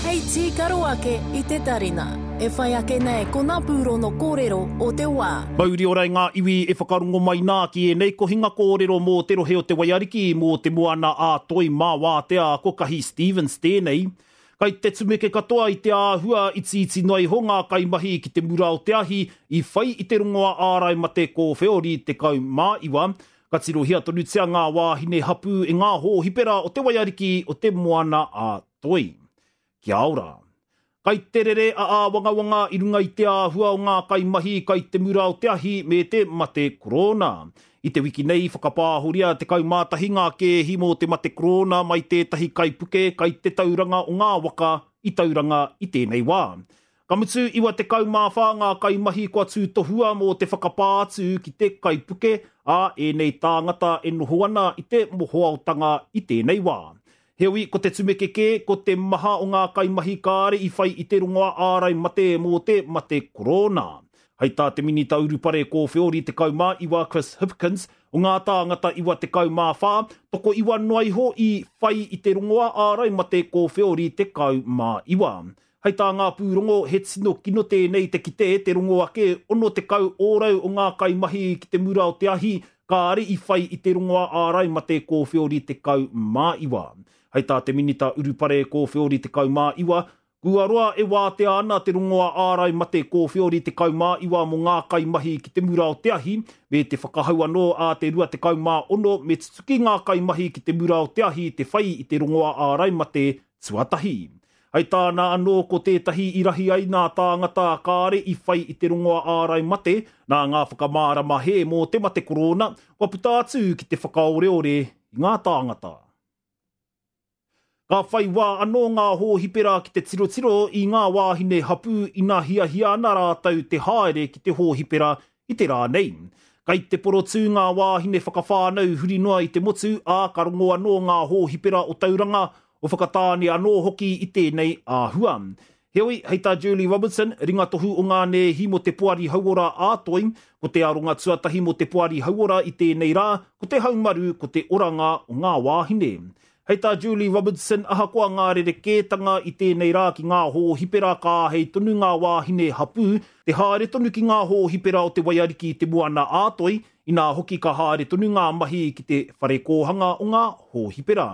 Hei tīkaro ake i te tarina. E whai ake nei ko ngā pūrono kōrero o te wā. Mauri ora i ngā iwi e whakarongo mai nā ki ēnei kohinga kōrero mō te rohe o Te Waiariki, mō Te Moana ā Toi mā Wātea ko Kahi Stevens tēnei. Kai te tumeke katoa i te āhua itiiti noa iho ngā kaimahi ki te mura o te ahi i whai i te rongoa ārai mate kōwheori 19. Ka tirohia tonutia ngā wāhine hapū e ngā hōhipera o Te Waiariki o Te Moana a Toi. Kia ora. Kai te rere a āwangawanga i runga i te āhua o ngā kaimahi kai te mura o te ahi me te mate korona. I te wiki nei i whakapāhoria 11 ngā kēhi mō te mate korona mai tētahi kaipuke kai te tauranga o ngā waka i Tauranga i tēnei wā. Ka mutu, 94 ngā kaimahi kua tūtohua mō te whakapā atu ki te kaipuke, ā, ēnei tāngata e noho ana i te mohoaotanga i tēnei wā. Heoi, ko te tumeke kē, ko te maha o ngā kaimahi kāre i whai i te rongoa ārai mate mō te mate korona. Hei tā te Minita Urupare Kōwheori 19 Chris Hipkins, o ngā tāngata 94, tokoiwa noa iho i whai i te rongoa ārai mate kōwheori 19. Hei tā ngā pūrongo, he tino kino tēnei te kite te rongo ake 60 ōrau o ngā kaimahi ki te mura o te ahi kāre i whai i te rongoa ārai mate kōwheori 19. Hei tā te Minita Urupare Kōwheori 19, kua roa e wātea ana te rongoa ārai mate kōwheori 19 mō ngā kaimahi ki te mura o te ahi, me te whakahau anō ā te 26 me tutuki ngā kaimahi ki te mura o te ahi te whai i te rongoa ārai mate tuatahi. Hei tāna anō ko tētahi i rahi ai nā tāngata kāre i whai i te rongoa ārai mate nā ngā whakamārama hē mō te mate korona kua puta atu ki te whakaoreore i ngā tāngata. Ka whai wā anō ngā hōhipera ki te tirotiro i ngā wāhine hapū ina hiahia ana rātou te haere ki te hōhipera i te rā nei. Kai te porotū ngā wāhine whakawhānau huri noa i te motu, ā, ka rongo anō ngā hōhipera o Tauranga, o Whakatāne anō hoki i tēnei āhua. Heoi, hei tā Julie Robertson, ringatohu o ngā nēhi mō te Poari Hauora ā-Toi, ko te aronga tuatahi mō te Poari Hauora i tēnei rā, ko te haumaru, ko te oranga o ngā wāhine. Hei tā Julie Robertson, ahakoa ngā rerekētanga i tēnei rā ki ngā hōhipera ka āhei tonu ngā wāhine hapū te haere tonu ki ngā hōhipera o Te Waiariki i Te Moana-a-Toi, inā hoki ka haere tonu ngā mahi ki te whare kōhanga o ngā hōhipera.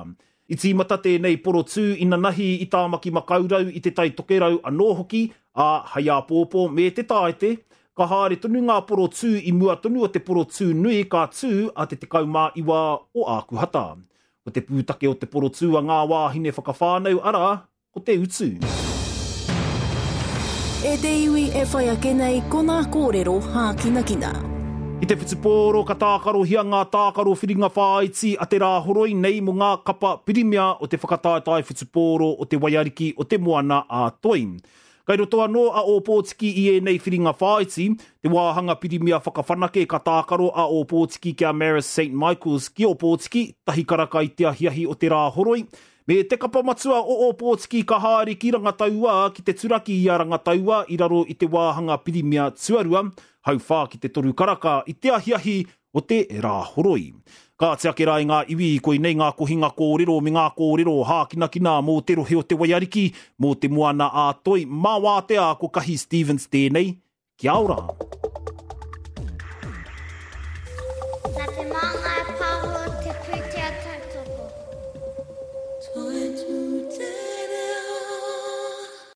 I tīmata tēnei porotū inanahi i Tāmaki Makaurau i Te Tai Tokerau anō hoki, ā, hei āpōpō me te Tāete, ka haere tonu ngā porotū i mua tonu o te porotū nui ka tū a te 19 o Ākuhata. Ko te pūtake o te porotū a ngā wāhine whakawhānau, arā, ko te utu. E te iwi e whai ake nei ko nā kōrero hākinakina. I te whutupōro ka tākarohia ngā tākaro whiringa whāiti a te Rāhoroi nei mō ngā kapa pirimia o te whakataetae whutupōro o te Waiariki o Te Moana a Toi. Kai roto anō a Ōpōtiki i ēnei whiringa whāiti, te wāhanga pirimia whakawhanake ka tākaro a Ōpōtiki ki a Marist St Michaels ki Ōpōtiki, tahi karaka i te ahiahi o te Rāhoroi, me te kapa matua o Ōpōtiki ka haere ki Rangataua ki te turaki i a Rangataua i raro i te wāhanga pirimia tuarua, hauwhā ki te toru karaka i te ahiahi o te Rāhoroi. Kāti ake rā i ngā iwi, koinei ngā kohinga kōrero me ngā kōrero hākinakina mō te rohe o Te Waiariki, mō Te Moana-a-Toi, mā Wātea ko Kahi Stevens tēnei, kia ora!